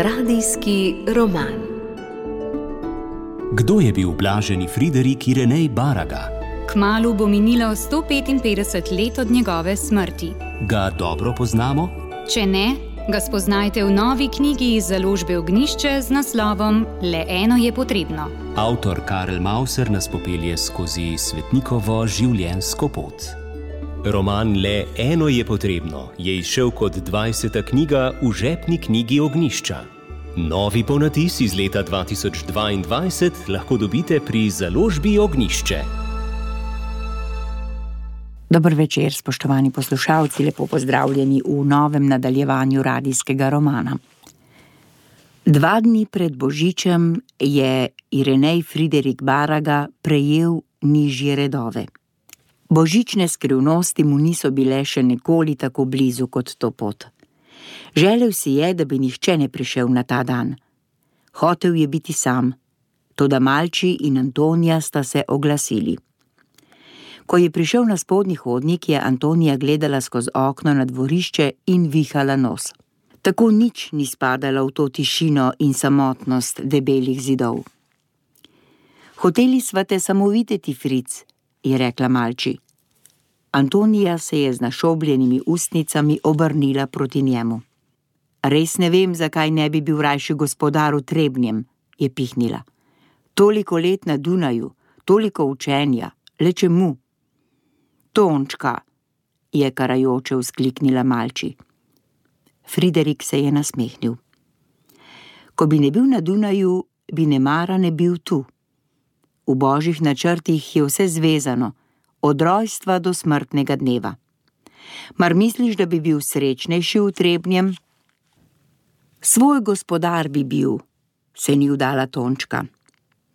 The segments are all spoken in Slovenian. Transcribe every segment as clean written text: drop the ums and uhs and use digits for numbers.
Radijski roman. Kdo je bil blaženi Friderik Irenej Baraga? Kmalu bo minilo 155 let od njegove smrti. Ga dobro poznamo? Če ne, ga spoznajte v novi knjigi iz založbe Ognjišče z naslovom Le eno je potrebno. Avtor Karel Mauser nas popelje skozi svetnikovo življenjsko pot. Roman Le eno je potrebno je izšel kot 20. knjiga v žepni knjigi Ognjišča. Novi ponatis iz leta 2022 lahko dobite pri založbi Ognjišče. Dober večer, spoštovani poslušalci, lepo pozdravljeni v novem nadaljevanju radijskega romana. 2 dni pred Božičem je Irenej Friderik Baraga prejel nižje redove. Božične skrivnosti mu niso bile še nikoli tako blizu kot to pot. Želel si je, da bi nihče ne prišel na ta dan. Hotel je biti sam, toda Malči in Antonija sta se oglasili. Ko je prišel na spodnji hodnik, je Antonija gledala skozi okno na dvorišče in vihala nos. Tako nič ni spadala v to tišino in samotnost debelih zidov. Hoteli sva te samo videti, Fric, je rekla Malči. Antonija se je z našobljenimi ustnicami obrnila proti njemu. Res ne vem, zakaj ne bi bil rajši gospodar v Trebnjem, je pihnila. Toliko let na Dunaju, toliko učenja, le čemu? Tončka, je karajoče vzkliknila Malči. Friderik se je nasmehnil. Ko bi ne bil na Dunaju, bi nemara ne bil tu. V božjih načrtih je vse zvezano, od rojstva do smrtnega dneva. Mar misliš, da bi bil srečnejši v Trebnjem? Svoj gospodar bi bil, se ni vdala Tončka.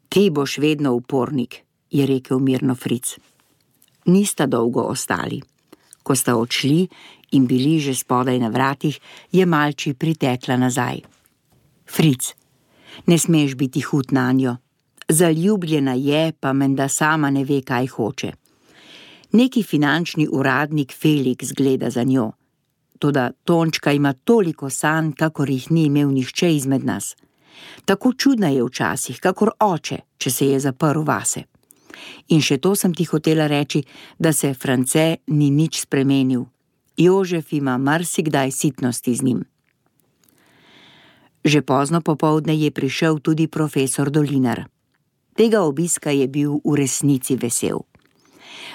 Ti boš vedno upornik, je rekel mirno Fric. Nista dolgo ostali. Ko sta odšli in bili že spodaj na vratih, je Malči pritekla nazaj. Fric, ne smeš biti hud nanjo. Zaljubljena je, pa menda sama ne ve, kaj hoče. Neki finančni uradnik Felix gleda za njo. Toda Tončka ima toliko sanj, kakor jih ni imel nihče izmed nas. Tako čudna je včasih, kakor oče, če se je zaprl vase. In še to sem ti hotela reči, da se France ni nič spremenil. Jožef ima marsikdaj sitnosti z njim. Že pozno popoldne je prišel tudi profesor Dolinar. Tega obiska je bil v resnici vesel.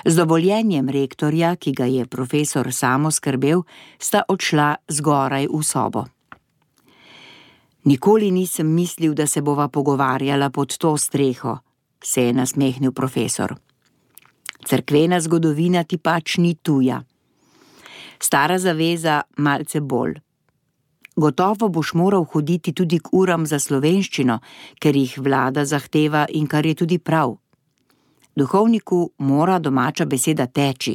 Z dovoljenjem rektorja, ki ga je profesor samo skrbel, sta odšla zgoraj v sobo. Nikoli nisem mislil, da se bova pogovarjala pod to streho, se je nasmehnil profesor. Cerkvena zgodovina ti pač ni tuja. Stara zaveza malce bolj. Gotovo boš moral hoditi tudi k uram za slovenščino, ker jih vlada zahteva in kar je tudi prav. Duhovniku mora domača beseda teči.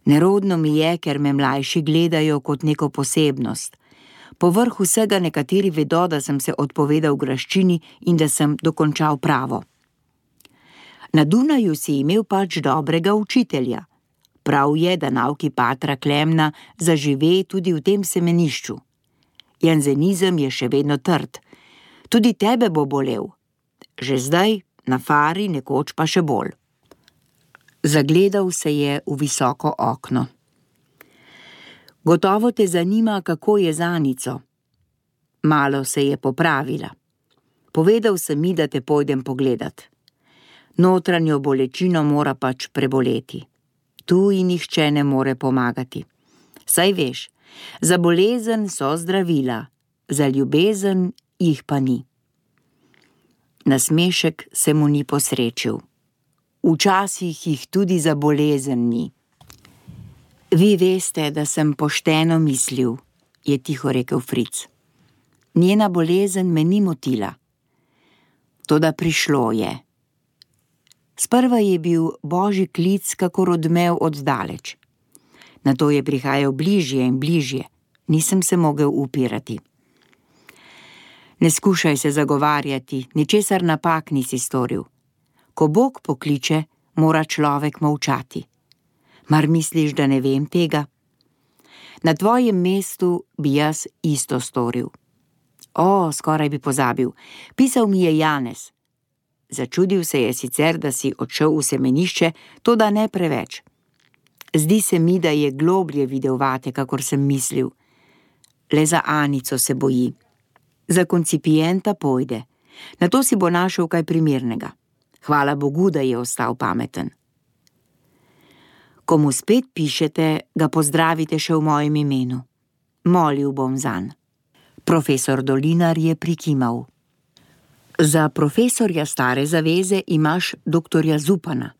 Nerodno mi je, ker me mlajši gledajo kot neko posebnost. Povrh vsega nekateri vedo, da sem se odpovedal graščini in da sem dokončal pravo. Na Dunaju si imel pač dobrega učitelja. Prav je, da nauki patra Klemna zažive tudi v tem semenišču. Janzenizem je še vedno trd. Tudi tebe bo bolel. Že zdaj, na fari, nekoč pa še bolj. Zagledal se je v visoko okno. Gotovo te zanima, kako je z Anico. Malo se je popravila. Povedal sem mi, da te pojdem pogledat. Notranjo bolečino mora pač preboleti. Tu ji nihče ne more pomagati. Saj veš, za bolezen so zdravila, za ljubezen jih pa ni. Nasmešek se mu ni posrečil. Včasih jih tudi za bolezen ni. Vi veste, da sem pošteno mislil, je tiho rekel Fric. Njena bolezen me ni motila. Toda prišlo je. Sprva je bil božji klic kakor odmev od daleč. Nato je prihajal bližje in bližje. Nisem se mogel upirati. Ne skušaj se zagovarjati, ničesar napak nisi storil. Ko Bog pokliče, mora človek molčati. Mar misliš, da ne vem tega? Na tvojem mestu bi jaz isto storil. O, skoraj bi pozabil. Pisal mi je Janez. Začudil se je sicer, da si odšel v semenišče, toda ne preveč. Zdi se mi, da je globlje videl vate, kakor sem mislil. Le za Anico se boji. Za koncipienta pojde. Nato si bo našel kaj primernega. Hvala Bogu, da je ostal pameten. Ko mu spet pišete, ga pozdravite še v mojem imenu. Molil bom zanj. Profesor Dolinar je prikimal. Za profesorja stare zaveze imaš doktorja Zupana.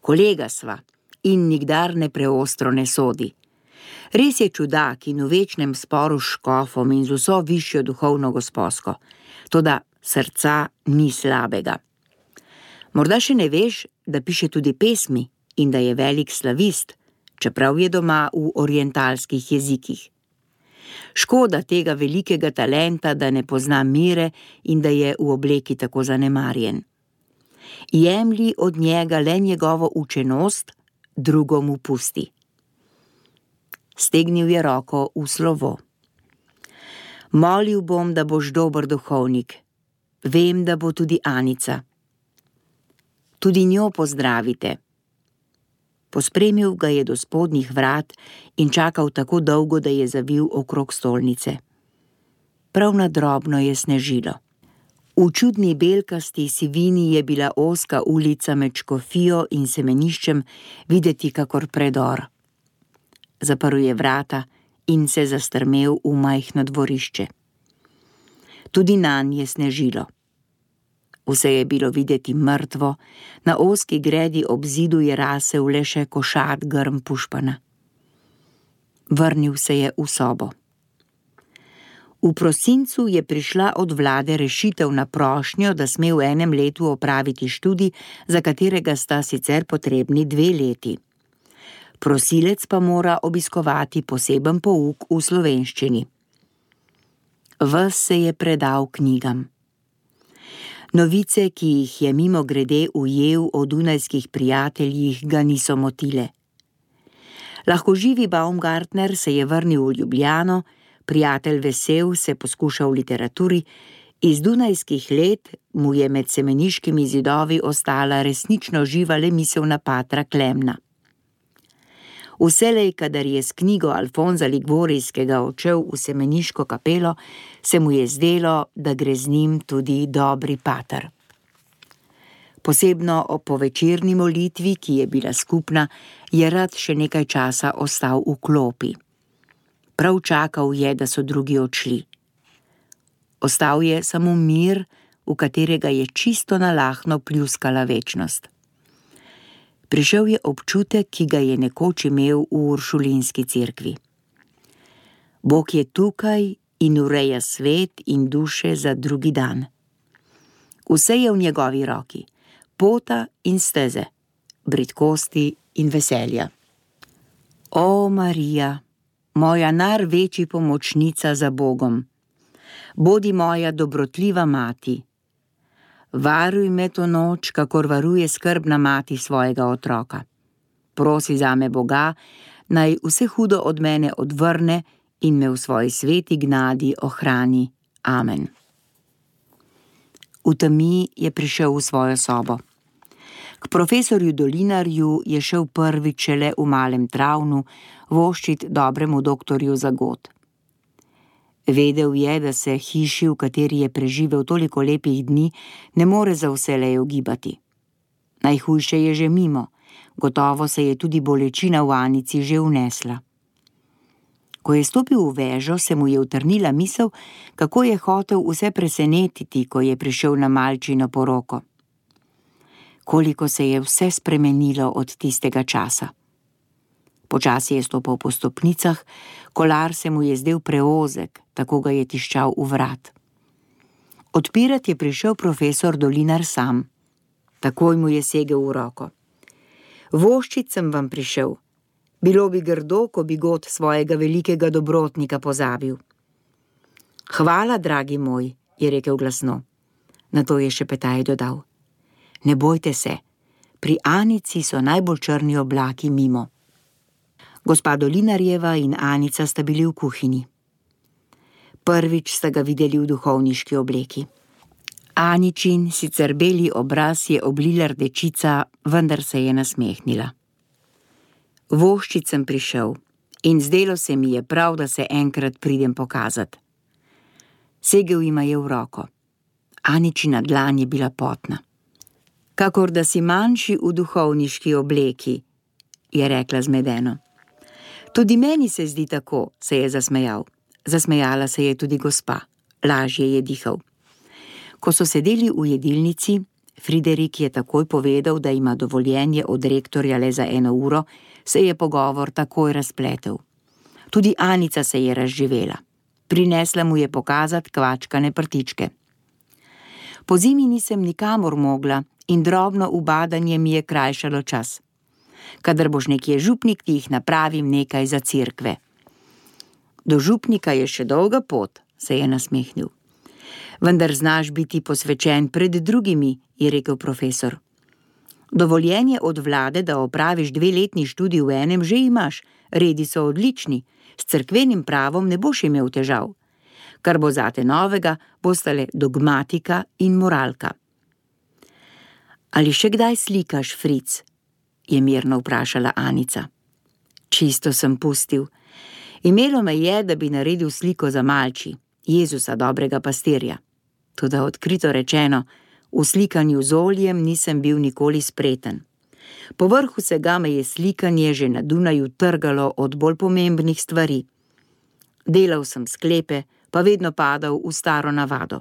Kolega sva in nikdar ne preostro ne sodi. Res je čudak in v večnem sporu s škofom in z vso višjo duhovno gosposko, toda srca ni slabega. Morda še ne veš, da piše tudi pesmi in da je velik slavist, čeprav je doma v orientalskih jezikih. Škoda tega velikega talenta, da ne pozna mere in da je v obleki tako zanemarjen. Jemlji od njega le njegovo učenost, drugo mu pusti. Stegnil je roko v slovo. Molil bom, da boš dober duhovnik. Vem, da bo tudi Anica. Tudi njo pozdravite. Pospremil ga je do spodnjih vrat in čakal tako dolgo, da je zavil okrog stolnice. Prav na drobno je snežilo. V čudni belkasti sivini je bila ozka ulica med škofijo in semeniščem videti kakor predor. Zaprl je vrata in se zastrmel v majhno dvorišče. Tudi nanj je snežilo. Vse je bilo videti mrtvo, na ozki gredi ob zidu je rasel le še košat grm pušpana. Vrnil se je v sobo. V prosincu je prišla od vlade rešitev na prošnjo, da sme v enem letu opraviti študij, za katerega sta sicer potrebni 2 leti. Prosilec pa mora obiskovati poseben pouk v slovenščini. Ves se je predal knjigam. Novice, ki jih je mimogrede ujel o dunajskih prijateljih, ga niso motile. Lahkoživi Baumgartner se je vrnil v Ljubljano, prijatelj Vesel se poskuša v literaturi, iz dunajskih let mu je med semeniškimi zidovi ostala resnično živa le misel na patra Klemna. Vselej, kadar je s knjigo Alfonza Liguorijskega odšel v semeniško kapelo, se mu je zdelo, da gre z njim tudi dobri pater. Posebno ob povečerni molitvi, ki je bila skupna, je rad še nekaj časa ostal v klopi. Prav čakal je, da so drugi odšli. Ostal je samo mir, v katerega je čisto nalahno pljuskala večnost. Prišel je občutek, ki ga je nekoč imel v Uršulinski cerkvi. Bog je tukaj in ureja svet in duše za drugi dan. Vse je v njegovi roki, pota in steze, bridkosti in veselja. O, Marija, moja največji pomočnica za Bogom, bodi moja dobrotljiva mati. Varuj me to noč, kakor varuje skrbna mati svojega otroka. Prosi zame Boga, naj vse hudo od mene odvrne in me v svoji sveti gnadi ohrani. Amen. V temi je prišel v svojo sobo. K profesorju Dolinarju je šel prvič šele v malem travnu voščit dobremu doktorju Zagot. Vedel je, da se hiši, v kateri je preživel toliko lepih dni, ne more za vselej ogibati. Najhujše je že mimo, gotovo se je tudi bolečina v Anici že vnesla. Ko je stopil v vežo, se mu je utrnila misel, kako je hotel vse presenetiti, ko je prišel na malčino poroko. Koliko se je vse spremenilo od tistega časa. Počasi je stopil po stopnicah, kolar se mu je zdel preozek, tako ga je tiščal v vrat. Odpirat je prišel profesor Dolinar sam. Takoj mu je segel v roko. Voščit sem vam prišel. Bilo bi grdo, ko bi God svojega velikega dobrotnika pozabil. Hvala, dragi moj, je rekel glasno. Nato je šepetaj dodal. Ne bojte se, pri Anici so najbolj črni oblaki mimo. Gospa Dolinarjeva in Anica sta bili v kuhinji. Prvič sta ga videli v duhovniški obleki. Aničin sicer beli obraz je oblila rdečica, vendar se je nasmehnila. Voščit sem prišel in zdelo se mi je prav, da se enkrat pridem pokazat. Segel jima je v roko. Aničina dlan je bila potna. Kakor da si manjši v duhovniški obleki, je rekla zmedeno. Tudi meni se zdi tako, se je zasmejal. Zasmejala se je tudi gospa. Lažje je dihal. Ko so sedeli v jedilnici, Friderik je takoj povedal, da ima dovoljenje od rektorja le za 1 uro, se je pogovor takoj razpletel. Tudi Anica se je razživela. Prinesla mu je pokazat kvačkane prtičke. Po zimi nisem nikamor mogla in drobno ubadanje mi je krajšalo čas. Kadar boš nekje župnik, ti jih napravim nekaj za cerkve. Do župnika je še dolga pot, se je nasmehnil. Vendar znaš biti posvečen pred drugimi, je rekel profesor. Dovoljenje od vlade, da opraviš 2-letni študij v enem, že imaš, redi so odlični, s cerkvenim pravom ne boš imel težav. Kar bo zate novega, bosta le dogmatika in moralka. Ali še kdaj slikaš, Fric? Je mirno vprašala Anica. Čisto sem pustil. Imelo me je, da bi naredil sliko za Malči, Jezusa, dobrega pastirja. Toda odkrito rečeno, v slikanju z oljem nisem bil nikoli spreten. Povrh vsega me je slikanje že na Dunaju trgalo od bolj pomembnih stvari. Delal sem sklepe, pa vedno padal v staro navado.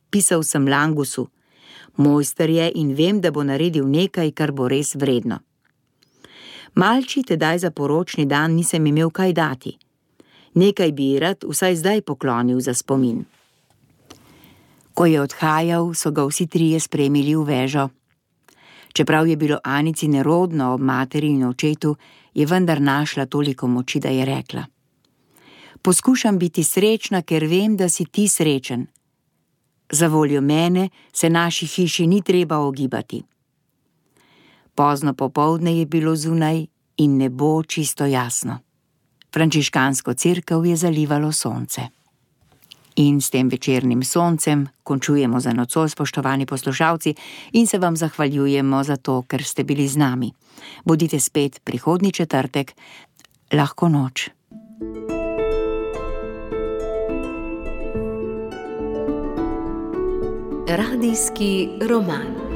Pisal sem Langusu. Mojster je in vem, da bo naredil nekaj, kar bo res vredno. Malči tedaj za poročni dan nisem imel kaj dati. Nekaj bi rad vsaj zdaj poklonil za spomin. Ko je odhajal, so ga vsi trije spremili v vežo. Čeprav je bilo Anici nerodno ob materi in očetu, je vendar našla toliko moči, da je rekla. Poskušam biti srečna, ker vem, da si ti srečen. Za voljo mene se naši hiši ni treba ogibati. Pozno popoldne je bilo zunaj in nebo čisto jasno. Frančiškansko cerkev je zalivalo sonce. In s tem večernim soncem končujemo za nocoj, spoštovani poslušalci, in se vam zahvaljujemo za to, ker ste bili z nami. Bodite spet prihodnji četrtek. Lahko noč. Radijski roman.